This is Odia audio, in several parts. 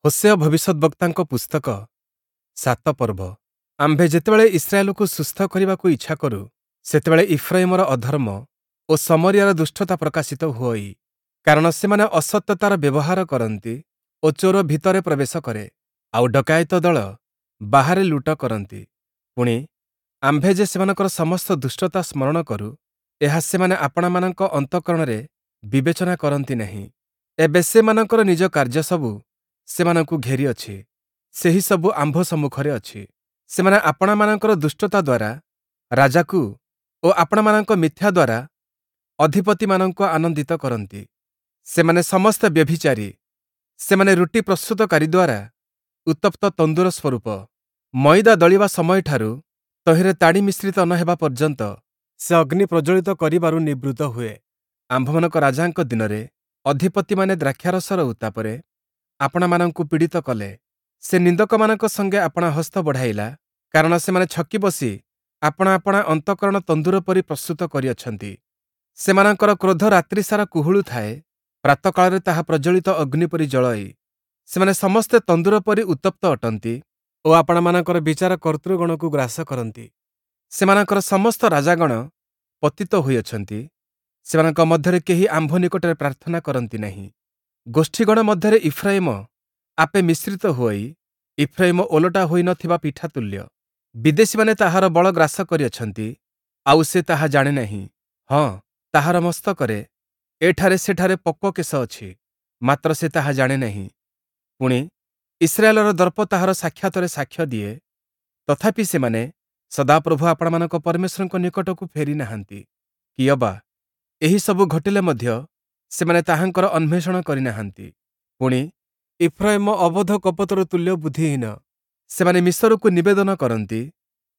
ହୋଶେୟ ଭବିଷ୍ୟଦ୍‌ବକ୍ତାଙ୍କ ପୁସ୍ତକ 7 ପର୍ବ। ଆମ୍ଭେ ଯେତେବେଳେ ଇସ୍ରାଏଲକୁ ସୁସ୍ଥ କରିବାକୁ ଇଚ୍ଛା କରୁ, ସେତେବେଳେ ଇଫ୍ରାଇମର ଅଧର୍ମ ଓ ଶମରୀୟାର ଦୁଷ୍ଟତା ପ୍ରକାଶିତ ହୁଅଇ। କାରଣ ସେମାନେ ଅସତ୍ୟତାର ବ୍ୟବହାର କରନ୍ତି ଓ ଚୋର ଭିତରେ ପ୍ରବେଶ କରେ, ଆଉ ଡକାୟତ ଦଳ ବାହାରେ ଲୁଟ କରନ୍ତି। ପୁଣି, ଆମ୍ଭେ ଯେ ସେମାନଙ୍କର ସମସ୍ତ ଦୁଷ୍ଟତା ସ୍ମରଣ କରୁ, ଏହା ସେମାନେ ଆପଣାମାନଙ୍କ ଅନ୍ତଃକରଣରେ ବିବେଚନା କରନ୍ତି ନାହିଁ। ଏବେ ସେମାନଙ୍କର ନିଜ କାର୍ଯ୍ୟସବୁ ସେମାନଙ୍କୁ ଘେରିଅଛି, ସେହିସବୁ ଆମ୍ଭ ସମ୍ମୁଖରେ ଅଛି। ସେମାନେ ଆପଣାମାନଙ୍କର ଦୁଷ୍ଟତା ଦ୍ୱାରା ରାଜାକୁ ଓ ଆପଣାମାନଙ୍କ ମିଥ୍ୟା ଦ୍ୱାରା ଅଧିପତିମାନଙ୍କୁ ଆନନ୍ଦିତ କରନ୍ତି। ସେମାନେ ସମସ୍ତେ ବ୍ୟଭିଚାରୀ, ସେମାନେ ରୁଟି ପ୍ରସ୍ତୁତକାରୀ ଦ୍ୱାରା ଉତ୍ତପ୍ତ ତନ୍ଦୁର ସ୍ୱରୂପ। ମଇଦା ଦଳିବା ସମୟଠାରୁ ତହିଁରେ ତାଡ଼ି ମିଶ୍ରିତ ନ ହେବା ପର୍ଯ୍ୟନ୍ତ ସେ ଅଗ୍ନି ପ୍ରଜ୍ୱଳିତ କରିବାରୁ ନିବୃତ୍ତ ହୁଏ। ଆମ୍ଭମାନଙ୍କ ରାଜାଙ୍କ ଦିନରେ ଅଧିପତିମାନେ ଦ୍ରାକ୍ଷାରସର ଉତ୍ତାପରେ ଆପଣାମାନଙ୍କୁ ପୀଡ଼ିତ କଲେ। ସେ ନିନ୍ଦକମାନଙ୍କ ସଙ୍ଗେ ଆପଣା ହସ୍ତ ବଢ଼ାଇଲା, କାରଣ ସେମାନେ ଛକି ବସି ଆପଣା ଆପଣା ଅନ୍ତଃକରଣ ତନ୍ଦୁର ପରି ପ୍ରସ୍ତୁତ କରିଅଛନ୍ତି। ସେମାନଙ୍କର କ୍ରୋଧ ରାତ୍ରିସାରା କୁହୁଳୁଥାଏ, ପ୍ରାତଃକାଳରେ ତାହା ପ୍ରଜ୍ୱଳିତ ଅଗ୍ନି ପରି ଜଳଇ। ସେମାନେ ସମସ୍ତେ ତନ୍ଦୁର ପରି ଉତ୍ତପ୍ତ ଅଟନ୍ତି ଓ ଆପଣାମାନଙ୍କର ବିଚାର କର୍ତ୍ତୃଗଣକୁ ଗ୍ରାସ କରନ୍ତି। ସେମାନଙ୍କର ସମସ୍ତ ରାଜାଗଣ ପତିତ ହୋଇଅଛନ୍ତି, ସେମାନଙ୍କ ମଧ୍ୟରେ କେହି ଆମ୍ଭ ନିକଟରେ ପ୍ରାର୍ଥନା କରନ୍ତି ନାହିଁ। ଗୋଷ୍ଠୀଗଣ ମଧ୍ୟରେ ଇଫ୍ରାଇମ ଆପେ ମିଶ୍ରିତ ହୋଇ, ଇଫ୍ରାଇମ ଓଲଟା ହୋଇ ନ ଥିବା ପିଠା ତୁଲ୍ୟ। ବିଦେଶୀମାନେ ତାହାର ବଳ ଗ୍ରାସ କରିଅଛନ୍ତି, ଆଉ ସେ ତାହା ଜାଣେ ନାହିଁ। ହଁ, ତାହାର ମସ୍ତକରେ ଏଠାରେ ସେଠାରେ ପକ୍ୱ କେଶ ଅଛି, ମାତ୍ର ସେ ତାହା ଜାଣେ ନାହିଁ। ପୁଣି, ଇସ୍ରାଏଲର ଦର୍ପ ତାହାର ସାକ୍ଷାତରେ ସାକ୍ଷ୍ୟ ଦିଏ, ତଥାପି ସେମାନେ ସଦାପ୍ରଭୁ ଆପଣାମାନଙ୍କ ପରମେଶ୍ୱରଙ୍କ ନିକଟକୁ ଫେରି ନାହାନ୍ତି, କିଅବା ଏହିସବୁ ଘଟିଲେ ମଧ୍ୟ ସେମାନେ ତାହାଙ୍କର ଅନ୍ୱେଷଣ କରିନାହାନ୍ତି। ପୁଣି, ଇଫ୍ରାଇମ ଅବୋଧ କପୋତର ତୁଲ୍ୟ ବୁଦ୍ଧିହୀନ। ସେମାନେ ମିଶରକୁ ନିବେଦନ କରନ୍ତି,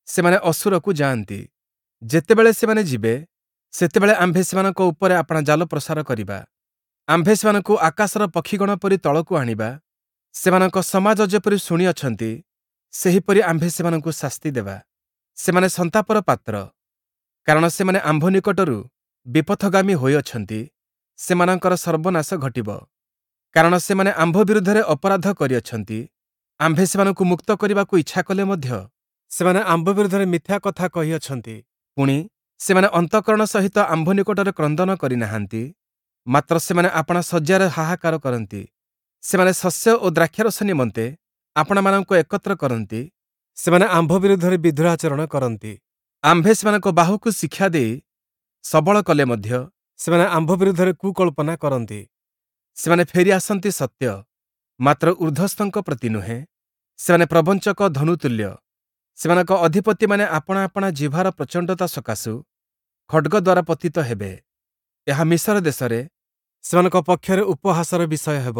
ସେମାନେ ଅଶୂରକୁ ଯାଆନ୍ତି। ଯେତେବେଳେ ସେମାନେ ଯିବେ, ସେତେବେଳେ ଆମ୍ଭେ ସେମାନଙ୍କ ଉପରେ ଆପଣା ଜାଲ ପ୍ରସାର କରିବା। ଆମ୍ଭେ ସେମାନଙ୍କୁ ଆକାଶର ପକ୍ଷୀଗଣ ପରି ତଳକୁ ଆଣିବା। ସେମାନଙ୍କ ସମାଜ ଯେପରି ଶୁଣିଅଛନ୍ତି, ସେହିପରି ଆମ୍ଭେ ସେମାନଙ୍କୁ ଶାସ୍ତି ଦେବା। ସେମାନେ ସନ୍ତାପର ପାତ୍ର, କାରଣ ସେମାନେ ଆମ୍ଭ ନିକଟରୁ ବିପଥଗାମୀ ହୋଇଅଛନ୍ତି, ସେମାନଙ୍କର ସର୍ବନାଶ ଘଟିବ। କାରଣ ସେମାନେ ଆମ୍ଭ ବିରୁଦ୍ଧରେ ଅପରାଧ କରିଅଛନ୍ତି। ଆମ୍ଭେ ସେମାନଙ୍କୁ ମୁକ୍ତ କରିବାକୁ ଇଚ୍ଛା କଲେ ମଧ୍ୟ ସେମାନେ ଆମ୍ଭ ବିରୁଦ୍ଧରେ ମିଥ୍ୟା କଥା କହିଅଛନ୍ତି। ପୁଣି, ସେମାନେ ଅନ୍ତଃକରଣ ସହିତ ଆମ୍ଭ ନିକଟରେ କ୍ରନ୍ଦନ କରିନାହାନ୍ତି, ମାତ୍ର ସେମାନେ ଆପଣା ଶଯ୍ୟାରେ ହାହାକାର କରନ୍ତି। ସେମାନେ ଶସ୍ୟ ଓ ଦ୍ରାକ୍ଷାରସ ନିମନ୍ତେ ଆପଣାମାନଙ୍କୁ ଏକତ୍ର କରନ୍ତି। ସେମାନେ ଆମ୍ଭ ବିରୁଦ୍ଧରେ ବିଦ୍ରୋହାଚରଣ କରନ୍ତି। ଆମ୍ଭେ ସେମାନଙ୍କ ବାହୁକୁ ଶିକ୍ଷା ଦେଇ ସବଳ କଲେ ମଧ୍ୟ ସେମାନେ ଆମ୍ଭ ବିରୁଦ୍ଧରେ କୁକଳ୍ପନା କରନ୍ତି। ସେମାନେ ଫେରି ଆସନ୍ତି ସତ୍ୟ, ମାତ୍ର ଊର୍ଦ୍ଧ୍ୱସ୍ଥଙ୍କ ପ୍ରତି ନୁହେଁ। ସେମାନେ ପ୍ରବଞ୍ଚକ ଧନୁତୁଲ୍ୟ। ସେମାନଙ୍କ ଅଧିପତିମାନେ ଆପଣା ଆପଣା ଜିହ୍ବାର ପ୍ରଚଣ୍ଡତା ସକାଶୁ ଖଡ଼୍ଗ ଦ୍ୱାରା ପତିତ ହେବେ। ଏହା ମିଶର ଦେଶରେ ସେମାନଙ୍କ ପକ୍ଷରେ ଉପହାସର ବିଷୟ ହେବ।